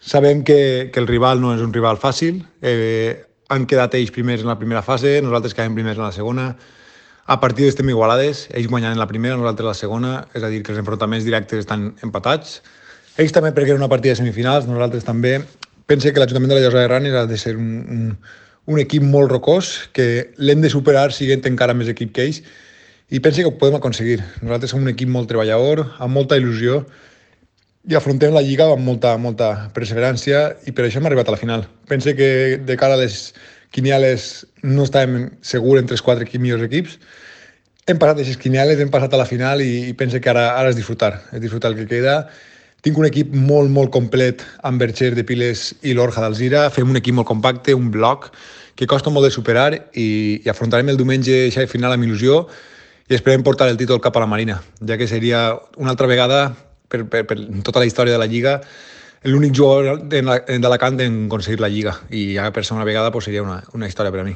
Sabem que el rival no és un rival fàcil. Han quedat ells primers en la primera fase, nosaltres quedem primers en la segona. A partir estem igualades, ells guanyant en la primera, nosaltres la segona, és a dir, que els enfrontaments directes estan empatats. Ells també perquè era una partida de semifinals, nosaltres també. Pense que l'Ajuntament de la Llosa de Ranes ha de ser un equip molt rocós, que l'hem de superar siguent encara més equip que ells, i pense que ho podem aconseguir. Nosaltres som un equip molt treballador, amb molta il·lusió, i afrontem la Lliga amb molta perseverància, i per això hem arribat a la final. Pense que de cara a les quinieles no estàvem segurs entre els 4 millors equips. Hem passat aquestes quinieles, hem passat a la final i pense que ara és disfrutar el que queda. Tinc un equip molt complet amb Bercher de Piles i l'Orja d'Alzira. Fem un equip molt compacte, un bloc que costa molt de superar, i afrontarem el diumenge aquesta final amb il·lusió i esperem portar el títol cap a la Marina, ja que seria una altra vegada per tota la història de la Lliga l'únic jugador d'Alacant en aconseguir la Lliga, i ja per segona vegada seria una història per a mi.